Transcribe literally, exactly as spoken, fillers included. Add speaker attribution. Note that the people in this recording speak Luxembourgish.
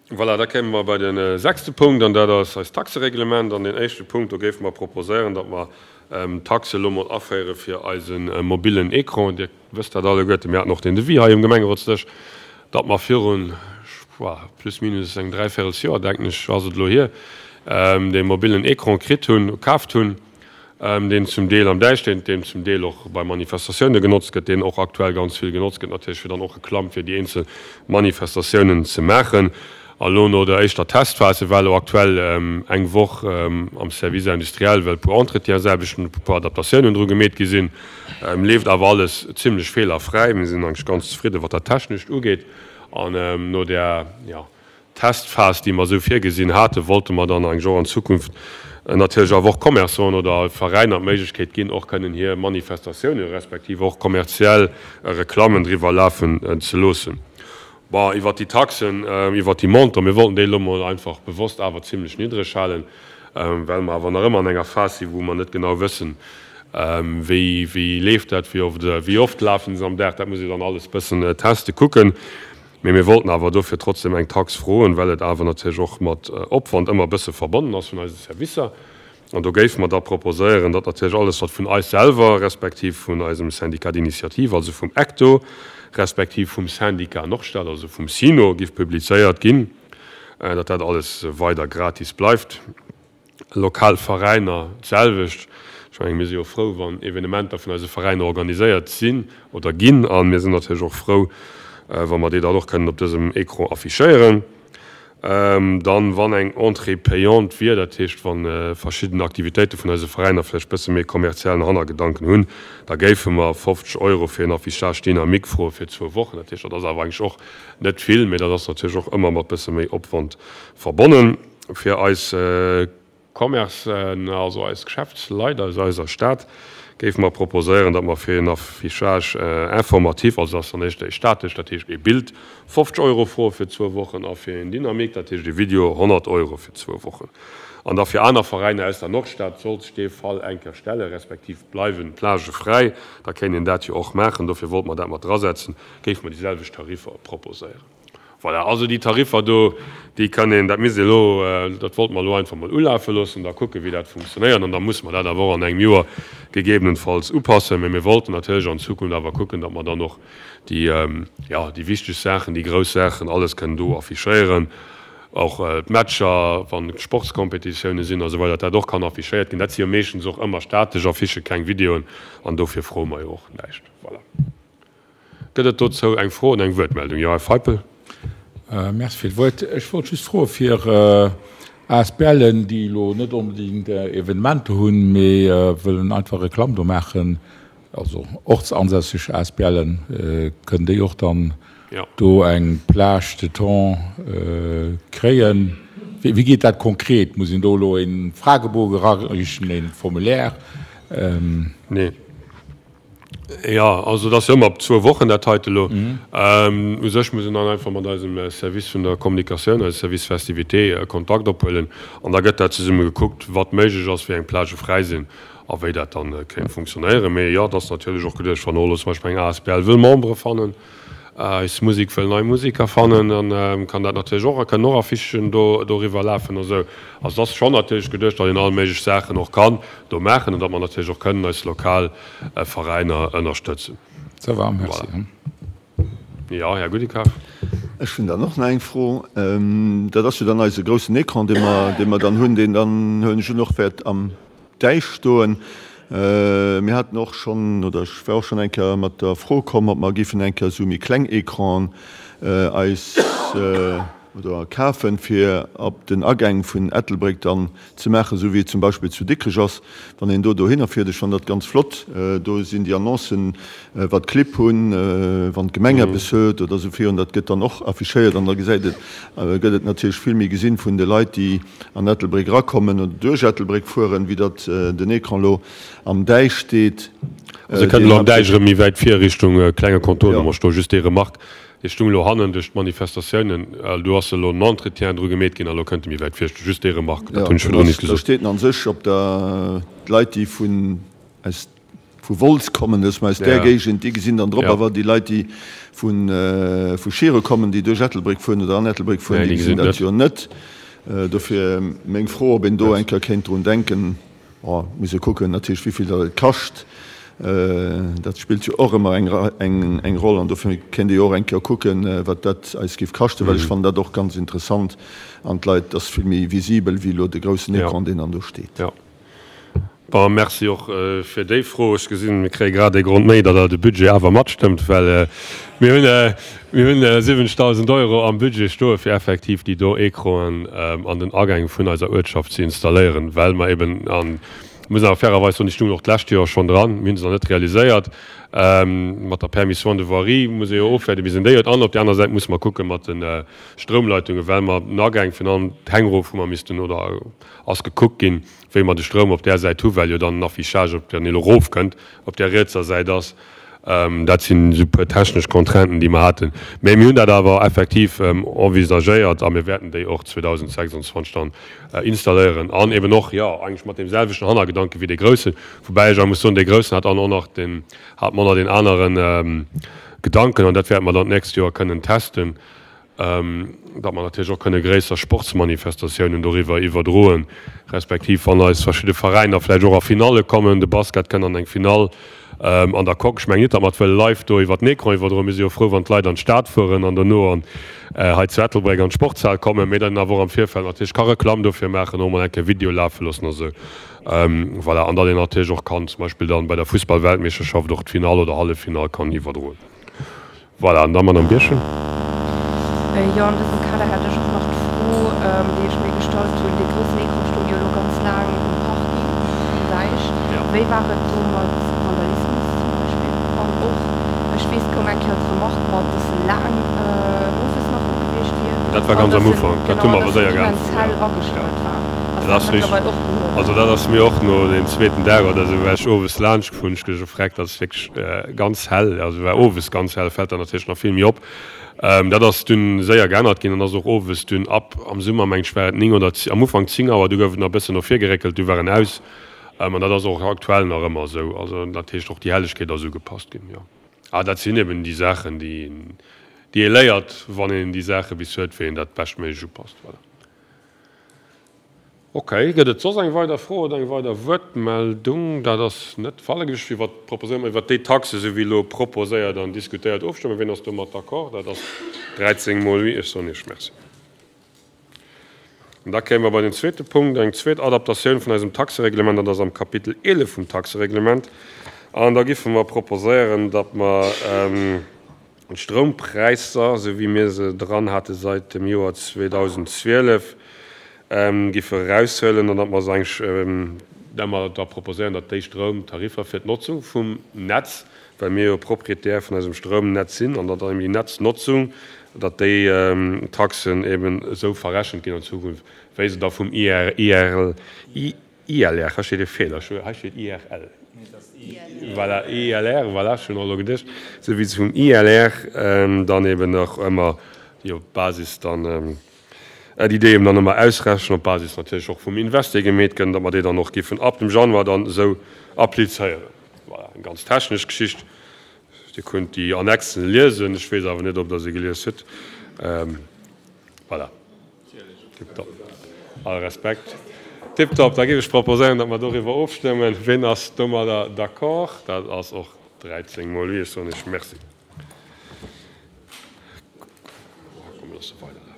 Speaker 1: Voilà, da kéime mer bei de sechste Punkt, an dat ass eist Taxereglement. An deen éischte Punkt, do géife mer proposéieren, datt mer d'Taxe elo mol aféiere fir eise mobillen Écran. Dir wësst dat alleguerte, mir haten och deen Devis hei um Gemengerotsdësch, datt mer virun, plus minus eng dräivéierelsjoer, denken ech, ass et elo hier, dee mobillen Écran kritt hunn, kaaft hunn. deen zum Deel am Däich steet, deen zum Deel och bei Manifestatioune genotzt gëtt, deen och aktuell ganz vill genotzt gëtt natierlech, fir dann och Reklamm fir déi eenzel Manifestatiounen ze maachen. A lo no der éischter Testphas, se war elo aktuell eng Woch am Service industriel, well e puer Entretiensaarbechten, e puer Adaptatiounen dru gemeet gi sinn, leeft awer alles zimlech feelerfräi. Mir sinn eigentlech ganz zefridde wat dat Technescht ugeet. An no där, jo, Testphas, déi mer esou virgesinn haten, wollte mer dann eigentlech och an Zukunft natierlech awer och Commerçanten oder Veräiner d'Méiglechkeet ginn, och kënnen hir Manifestatiounen respektiv och kommerziell Reklammen driwwer lafen ze loossen. Bon, iwwert déi Taxen, iwwert déi Montant, mir wollten déi elo mol einfach bewosst awer zimlech niddreg halen, well mer awer nach ëmmer an enger Phas sinn, wou mer net genau wëssen, wéi, wéi leeft dat, wéi oft, wéi oft lafen se am Dag. Dat muss ee dann alles bëssen testen, kucken. Mee mir wollten awer dofir trotzdem eng Tax froen, well et awer natierlech och mat Opwand ëmmer e bësse verbonnen ass vun eise Servicer. An do géife mer da proposéieren, datt natierlech alles, wat vun eis selwer respektiv vun eisem Syndicat d'initiative, also vum ECTO, respektiv vum Syndicat Nordstad, also vum SYNO, giff publizéiert ginn, datt dat alles weider gratis bleift. Lokal Veräiner d'selwecht. Ech mengen, mir si jo frou, wann Evenementer vun eise Veräiner organiséiert sinn oder ginn. A mir sinn natierlech och frou, wa mer déi dann och kënnen op dësem Écran affichéieren. Dann, wann eng Entrée payante wier, dat heescht, wa verschidden Aktivitéite vun eise Veräiner vläicht bësse méi kommerziellen Hannergedanken hunn, da géife mer fofzeg Euro fir en Affichage dynamique froe fir zwou Wochen. Dat heescht, dat ass awer eigentlech och net vill, mee dat ass natierlech och ëmmer mat bësse méi Opwand verbonnen. Fir eis Commercen, also eis Geschäftsleit aus eiser Stad, géife mer proposéieren, datt mer fir een Affichage informatif, also dat ass dann éischter ee statesch, dat heescht ee Bild, fofzeg Euro froe fir zwou Wochen a fir een dynamique, dat heescht ee Video, honnert Euro fir zwou Wochen. An da fir aner Veräiner aus der Nordstad, sollt sech dee Fall eng Kéier stellen, respektiv bleiwen d'Plagë fräi, da kéint een dat jo och maachen. Dofir wollte mer dat mat drasetzen, géife mer déi selwecht Tariffer proposéieren. Voilà, also déi Tariffer do, déi kann een, dat misst ee elo, dat wollte mer elo einfach mol ulafe loossen, da kucken, wéi dat funktionéiert. An da musse mer dat awer och an engem Joer gegebenenfalls upassen. Mä mir wollten natierlech an Zukunft awer kucken, datt mer dann och déi, jo, déi wichteg Saachen, déi grouss Saachen, alles kënnen do affichéieren. Och d'Matcher, wann Sportskompetitiounen sinn a sou weider, datt dat och kann affichéiert ginn. Dat si jo meeschtens och ëmmer statesch Affichen, keng Videoen. An dofir froe mer jo och näischt. Voilà. Gëtt et dozou eng Fro oder eng Wuertmeldung? Jo, Här Feipel.
Speaker 2: Merci fir d'Wuert. Ech wollt just froe fir ASBLen, déi elo net onbedéngt Evenementer hunn, mee wëllen einfach Reklamm do maachen, also ortsansässeg ASBLen, kënnen déi och dann do eng Plage de temps kréien? Wéi geet dat konkret? Muss een do elo e Fragebogen erareechen, e Formulaire?
Speaker 1: Nee. Jo, also et ass jo ëmmer op zwou Wochen dat heite elo. U sech muss een dann einfach mat eisem Service vun der Kommunikatioun, eisem Service Festivités, Kontakt ophuelen an da gëtt dat zesumme gekuckt, wat méiglech ass, wéi eng Plagë fräi sinn a wéi dat dann kéint funktionéieren. Mee jo, et ass natierlech och geduecht, wann och elo zum Beispill eng asbl wëll Membere fannen, Eis Musek wëll nei Museker fannen, dann kann dat natierlech och, kënnen och Affichen do doriwwer lafen a sou. Also et ass schonn natierlech geduecht, datt een all méiglech Saachen och kann do maachen an datt mer natierlech och kënnen eis lokal Veräiner ënnerstëtzen.
Speaker 2: Ça va, merci.
Speaker 1: Voilà. Jo, Här Goudicard.
Speaker 3: Ech hunn dann och nach eng Fro. Dat ass jo dann eise groussen Ecran, dee mer, dee mer dann hunn, deen dann, huelen ech un, och wäert am Däich stoen. Mir haten och schonn, oder ech war och schonn eng Kéier mat der Fro komm, ob mer géifen eng Kéier esou méi kleng Ecranen eis oder kafen, fir op den Agäng vun Ettelbréck dann ze maachen, esou wéi et zum Beispill zu Dikrech ass, wann een do dohinner fiert. Ech fannen dat ganz flott. Do sinn déi Annoncen, wat d'Clibb hunn, wann d'Gemeng eppes huet oder esou virun. Dat gëtt dann och affichéiert an da gesäit et, gëtt et natierlech vill méi gesinn vun de Leit, déi an Ettelbréck erakommen oder duerch Ettelbréck fueren, wéi datt den Ecran elo am Däich steet.
Speaker 1: Also e kënnt elo am Däich erëm méi wäit vir Richtung klenge Contournement stoen. Just déi Remarque, dee stung elo hannen duerch d'Manifestatiounen, do ass elo en Entretien dru gemeet ginn a lo kënnt e méi wäit vir stoen. Just déi Remarque, dat hunn ech virdrun nit
Speaker 3: gesot. Da steet en an sech op der, d'Leit déi vun aus vu Wolz kommen, dass mer aus där Géigend, déi gesinn dann drop, awer déi Leit, déi vu Schiere kommen, déi duerch Ettelbréck fueren oder an Ettelbréck fueren, déi gesinn dat jo net. Dofir meng Fro, ob een do eng Kéier kéint drun denken, bon, muss ee kucken natierlech, wéi vill dat et kascht, dat spillt jo och ëmmer eng eng Roll an dofir kéint ee jo och eng Kéier kucken, wat dat eis géif kaschten, well ech fannen dat och ganz interessant an d'Leit ass vill méi visibel wéi elo de groussen Ecran, deen dann do steet.
Speaker 1: Jo. Bon, merci och fir déi Fro. Ech gesinn, mir kréie grad ee Grond méi, datt Der de Budget awer matstëmmt, well mir hunn, mir hunn siwwenzegdausend Euro am Budget stoe fir effektiv déi do Ecranen an den Agäng vun eiser Uertschaft ze installéieren, well mer eben, a muss awer fairerweis soen, déi stungen och d'lescht Joer schonn dran, mir hu se nach net realiséiert, mat der Permission de voirie muss ee jo ofwaarde bis een déi huet an op där aner Säit musse mer kucke mat de Stroumleitungen, well mer den Agäng virun allem d'Häng erof hu mer missten oder ass gekuckt ginn, wéi mer de Stroum op där Säit hu well jo dann den Affichage op der, deen elo erofkënnt, op där rietser Säit ass. Dat sinn esou e puer technesch Contrainten, déi mer haten. Mä mir hunn dat awer effektiv envisagéiert a mir wäerten déi och zweedausendsechsundzwanzeg dann installéieren an eben och, jo, eigentlech mat deem selwechten Hannergedanke wéi dee groussen. Woubäi ech awer muss soen, dee groussen hat dann och nach den, hat mer och nach deen anere Gedanken an dat wäerte mer dann d'nächst Joer kënnen testen. datt mer natierlech och kënne gréisser Sportsmanifestatiounen doriwwer iwwerdroen, respektiv wann eis verschidde Veräiner vläicht och a Finalle kommen, de Basket kënnt an eng Finall an der Coque. Ech mengen net, datt mer et wëlle live do iwwer den Ecran iwwerdroen. Mir si jo frou, wann d'Leit an d'Stad fueren an dono an hei zu Ettelbréck an d'Sportshal kommen, mee dann awer och am Virfeld natierlech ka Reklamm dofir maachen, och mol eng Kéier Video lafe loossen a sou. Voilà, an datt een natierlech och kann zum Beispill dann bei der Fussballweltmeeschterschaft och d'Finall oder Halleffinall kann iwwerdroen. Voilà, an da Madame Birchen.
Speaker 4: Jo, an dësem Kader hätt ech och nach d'Fro, déi ech mir gestallt hunn, Dee groussen Ecran stoung jo elo ganz laang um Parking vum Däich. Wéi war et do mat Vandalismus zum Beispill? An och, ech weess, et koum eng Kéier d'Remark mat, dass e laang owes nach u gewiescht wier
Speaker 1: Dat war
Speaker 4: an
Speaker 1: ganz am
Speaker 4: dass en,
Speaker 1: Ufank. Dat
Speaker 4: genau,
Speaker 1: hu
Speaker 4: an
Speaker 1: mer awer
Speaker 4: dass en
Speaker 1: séier
Speaker 4: immens
Speaker 1: geännert.
Speaker 4: hell
Speaker 1: Jo,
Speaker 4: agestallt war. Ass
Speaker 1: dat
Speaker 4: dat
Speaker 1: ass richteg.
Speaker 4: mëttlerweil och behuewen?
Speaker 1: Also dat ass mir och no deem zweeten Dag oder esou, war ech owes laanscht gefuer, hunn ech geduecht, oh freck, dat ass wierklech ganz hell. Also war owes ganz hell, fält dann natierlech nach vill méi op. Dat ass dunn séier geännert ginn an ass och owes dunn ab, am Summer mengen ech war et néng oder am Ufank zéng Auer, du gouf et nach e bëssen no vir geréckelt, du war en aus. An dat ass och aktuell nach ëmmer esou. Also dat heescht och déi Hellegkeet ass ugepasst ginn, jo. Ah dat sinn eben déi Saachen, déi déi ee léiert, wann een déi Saache bis huet, wéi een dat beschtméiglech upasst. Voilà. Ok, gëtt et soss eng weider Fro oder eng weider Wuertmeldung? Dat ass net de Fall. Da géif ech iwwert proposéieren, mer iwwert déi Taxe, esou wéi elo proposéiert an diskutéiert, ofstëmmen. Wien ass domat d'accord? Dat ass dräizéng mol oui. Ech soen Iech Merci. An da kéime mer bei den zweete Punkt, eng zweet Adaptatioun vun eisem Taxereglement. Dat ass am Kapitel eelef vum Taxereglement. An da giffe mer proposéieren, datt mer d'Stroumpräisser, esou wéi mir se dran hate sait dem Joer zweedausendzwielef, giffe eraushuelen an datt mer se eigentlech, datt mer da proposéieren, datt déi Stroumtariffer fir d'Notzung vum Netz, well mir jo Proprietär vun eisem Stroumnetz sinn, an datt eben déi Netznotzung, datt déi Taxen eben esou verrechent ginn an Zukunft, wéi se da vum I R, I R, I L R, hei steet e Feeler, hei steet I R L, voilà, I L R, voilà, ech hunn och elo geduecht, esou wéi se vum I L R dann eben och ëmmer, déi op Basis dann, déi déi eben dann ëmmer ausrechnen, op Basis natierlech och vum Invest, dee gemeet gëtt, datt mer déi dann och géifen ab dem Januar dann esou applizéieren. Voilà, eng ganz technesch Geschicht. Dir kënnt déi Annexen liesen, ech weess awer net, ob Der se gelies hutt. Voilà. Tiptop. All Respekt. Tiptop. Da géif ech proposéieren, datt mer doriwwer ofstëmmen. Wien ass domadder d'accord? Dat ass och dräizéng mol oui. Ech soen Iech Merci. Komm, mir loosse weiderlafen.